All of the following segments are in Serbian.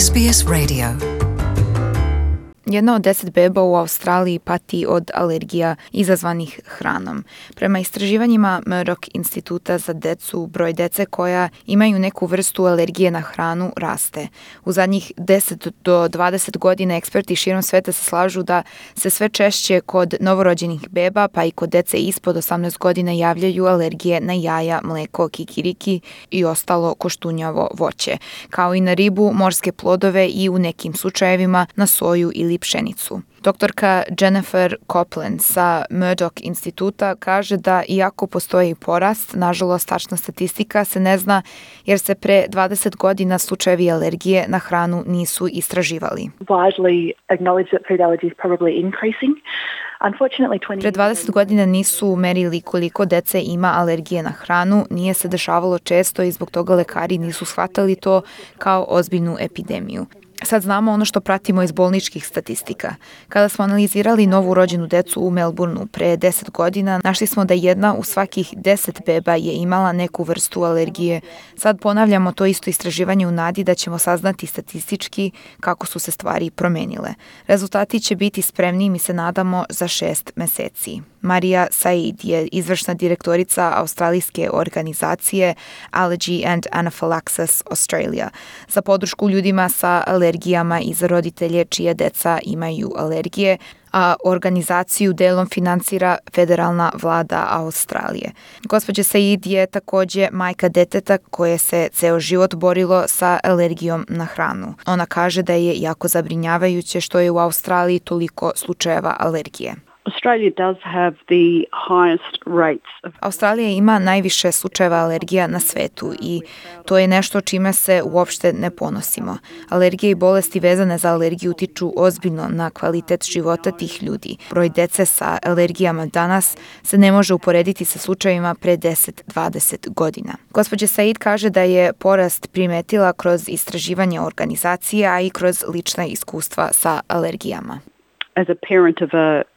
SBS Radio. Jedna od 10 beba u Australiji pati od alergija izazvanih hranom. Prema istraživanjima Murdoch instituta za decu, broj dece koja imaju neku vrstu alergije na hranu raste. U zadnjih 10 do 20 godina eksperti širom sveta se slažu da se sve češće kod novorođenih beba, pa i kod dece ispod 18 godina javljaju alergije na jaja, mleko, kikiriki i ostalo koštunjavo voće, kao i na ribu, morske plodove i u nekim slučajevima na soju ili pšenicu. Doktorka Jennifer Copeland sa Murdoch instituta kaže da iako postoji porast, nažalost tačna statistika se ne zna jer se pre 20 godina slučajevi alergije na hranu nisu istraživali. Pre 20 godina nisu merili koliko dece ima alergije na hranu, nije se dešavalo često i zbog toga lekari nisu shvatali to kao ozbiljnu epidemiju. Sad znamo ono što pratimo iz bolničkih statistika. Kada smo analizirali novu rođenu decu u Melbourneu pre 10 godina, našli smo da jedna u svakih 10 beba je imala neku vrstu alergije. Sad ponavljamo to isto istraživanje u nadi da ćemo saznati statistički kako su se stvari promenile. Rezultati će biti spremni, mi se nadamo, za 6 meseci. Marija Said je izvršna direktorica australijske organizacije Allergy and Anaphylaxis Australia za podršku ljudima sa alergijama i za roditelje čije deca imaju alergije, a organizaciju delom finansira federalna vlada Australije. Gospođa Said je takođe majka deteta koje se ceo život borilo sa alergijom na hranu. Ona kaže da je jako zabrinjavajuće što je u Australiji toliko slučajeva alergije. Australija ima najviše slučajeva alergija na svetu i to je nešto čime se uopšte ne ponosimo. Alergije i bolesti vezane za alergiju utiču ozbiljno na kvalitet života tih ljudi. Broj dece sa alergijama danas se ne može uporediti sa slučajevima pre 10-20 godina. Gospođa Said kaže da je porast primetila kroz istraživanje organizacije, a i kroz lična iskustva sa alergijama. As a parent of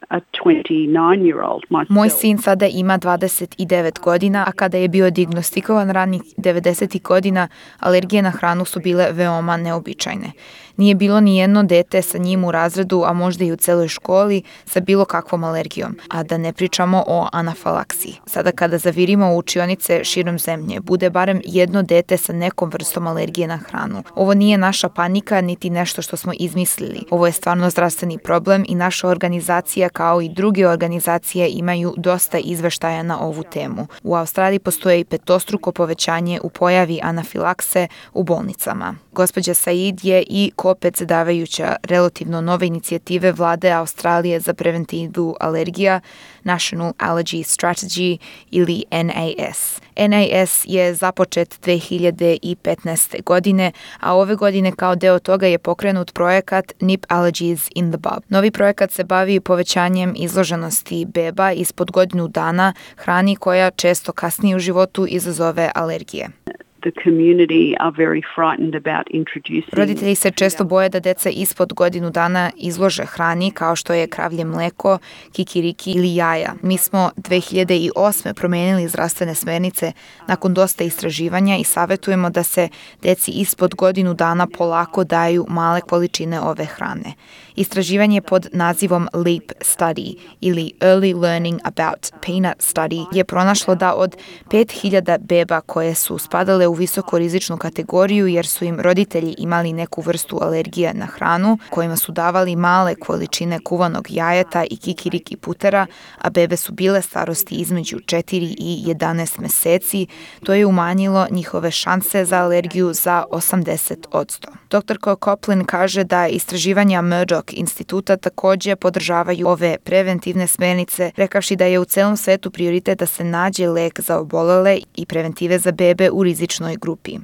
a 29-year-old myself. Moj sin sada ima 29 godina, a kada je bio dijagnostikovan ranih 90. godina, alergije na hranu su bile veoma neobičajne. Nije bilo ni jedno dete sa njim u razredu, a možda i u celoj školi, sa bilo kakvom alergijom, a da ne pričamo o anafalaksiji. Sada kada zavirimo u učionice širom zemlje, bude barem jedno dete sa nekom vrstom alergije na hranu. Ovo nije naša panika, niti nešto što smo izmislili. Ovo je stvarno zdravstveni problem i naša organizacija kao i druge organizacije imaju dosta izveštaja na ovu temu. U Australiji postoje i petostruko povećanje u pojavi anafilakse u bolnicama. Gospođa Said je i kopredsedavajuća relativno nove inicijative vlade Australije za preventivu alergija, National Allergy Strategy ili NAS. NAS je započet 2015. godine, a ove godine kao deo toga je pokrenut projekat Nip Allergies in the Bub. Novi projekat se bavi povećanjem izloženosti beba ispod godinu dana hrani koja često kasnije u životu izazove alergije. Roditelji se često boje da deca ispod godinu dana izlože hrani kao što je kravlje mleko, kikiriki ili jaja. Mi smo 2008. promenili zdravstvene smernice nakon dosta istraživanja i savjetujemo da se deci ispod godinu dana polako daju male količine ove hrane. Istraživanje pod nazivom LEAP Study ili Early Learning About Peanut Study je pronašlo da od 5000 beba koje su spadale u visokorizičnu kategoriju jer su im roditelji imali neku vrstu alergije na hranu, kojima su davali male količine kuvanog jajeta i kikiriki putera, a bebe su bile starosti između 4 i 11 meseci, to je umanjilo njihove šanse za alergiju za 80%. Dr. Copeland kaže da istraživanja Murdoch instituta takođe podržavaju ove preventivne smernice, rekavši da je u celom svetu prioritet da se nađe lek za obolele i preventive za bebe u rizičnoj grupi.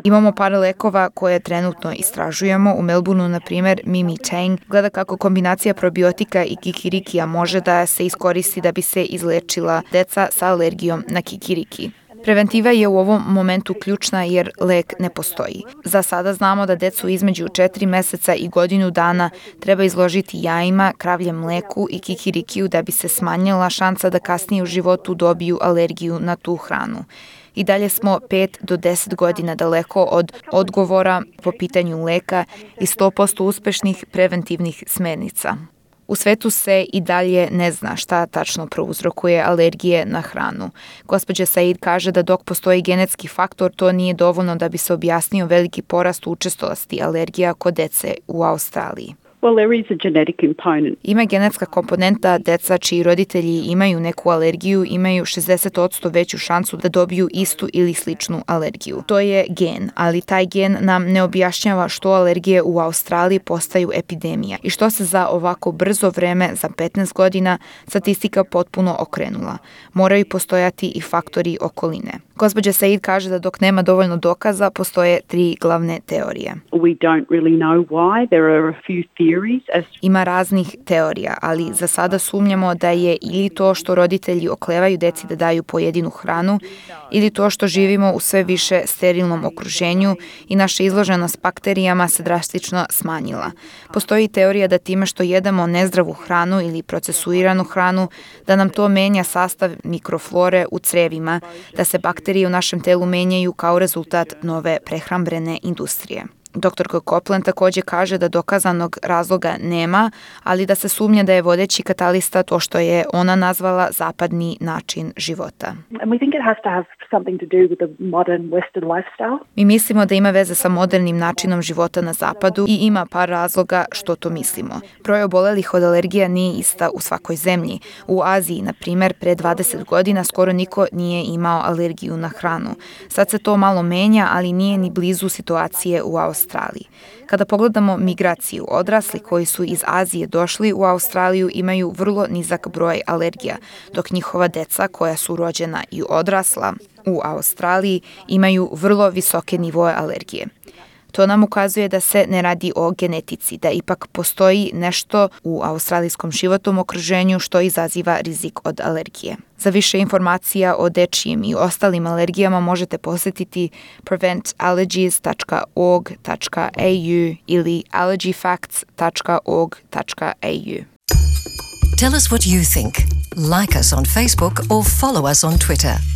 Imamo par lekova koje trenutno istražujemo. U Melbourneu, na primjer, Mimi Tang gleda kako kombinacija probiotika i kikirikija može da se iskoristi da bi se izlečila deca sa alergijom na kikiriki. Preventiva je u ovom momentu ključna jer lek ne postoji. Za sada znamo da decu između 4 meseca i godinu dana treba izložiti jajima, kravljem mleku i kikirikiju da bi se smanjila šansa da kasnije u životu dobiju alergiju na tu hranu. I dalje smo 5 do 10 godina daleko od odgovora po pitanju leka i 100% uspešnih preventivnih smernica. U svetu se i dalje ne zna šta tačno prouzrokuje alergije na hranu. Gospođa Said kaže da dok postoji genetski faktor, to nije dovoljno da bi se objasnio veliki porast učestalosti alergija kod dece u Australiji. Well, there is a genetic component. Ima genetska komponenta, deca čiji roditelji imaju neku alergiju imaju 60% veću šansu da dobiju istu ili sličnu alergiju. To je gen, ali taj gen nam ne objašnjava što alergije u Australiji postaju epidemija i što se za ovako brzo vreme, za 15 godina, statistika potpuno okrenula. Moraju postojati i faktori okoline. Gospođa Said kaže da dok nema dovoljno dokaza, postoje 3 glavne teorije. We don't really know why. There are a few theories. Ima raznih teorija, ali za sada sumnjamo da je ili to što roditelji oklevaju deci da daju pojedinu hranu, ili to što živimo u sve više sterilnom okruženju i naša izloženost bakterijama se drastično smanjila. Postoji teorija da time što jedemo nezdravu hranu ili procesuiranu hranu, da nam to menja sastav mikroflore u crevima, da se bakterije u našem telu menjaju kao rezultat nove prehrambene industrije. Dr. Copeland također kaže da dokazanog razloga nema, ali da se sumnja da je vodeći katalista to što je ona nazvala zapadni način života. Mi mislimo da ima veze sa modernim načinom života na zapadu i ima par razloga što to mislimo. Broj obolelih od alergija nije ista u svakoj zemlji. U Aziji, na primjer, pre 20 godina skoro niko nije imao alergiju na hranu. Sad se to malo menja, ali nije ni blizu situacije u Australiji. Kada pogledamo migraciju, odrasli koji su iz Azije došli u Australiju imaju vrlo nizak broj alergija, dok njihova deca koja su rođena i odrasla u Australiji imaju vrlo visoke nivoe alergije. To nam ukazuje da se ne radi o genetici, da ipak postoji nešto u australijskom životnom okruženju što izaziva rizik od alergije. Za više informacija o dečijim i ostalim alergijama možete posjetiti preventallergies.org.au ili allergyfacts.org.au. Tell us what you think. Like us on Facebook or follow us on Twitter.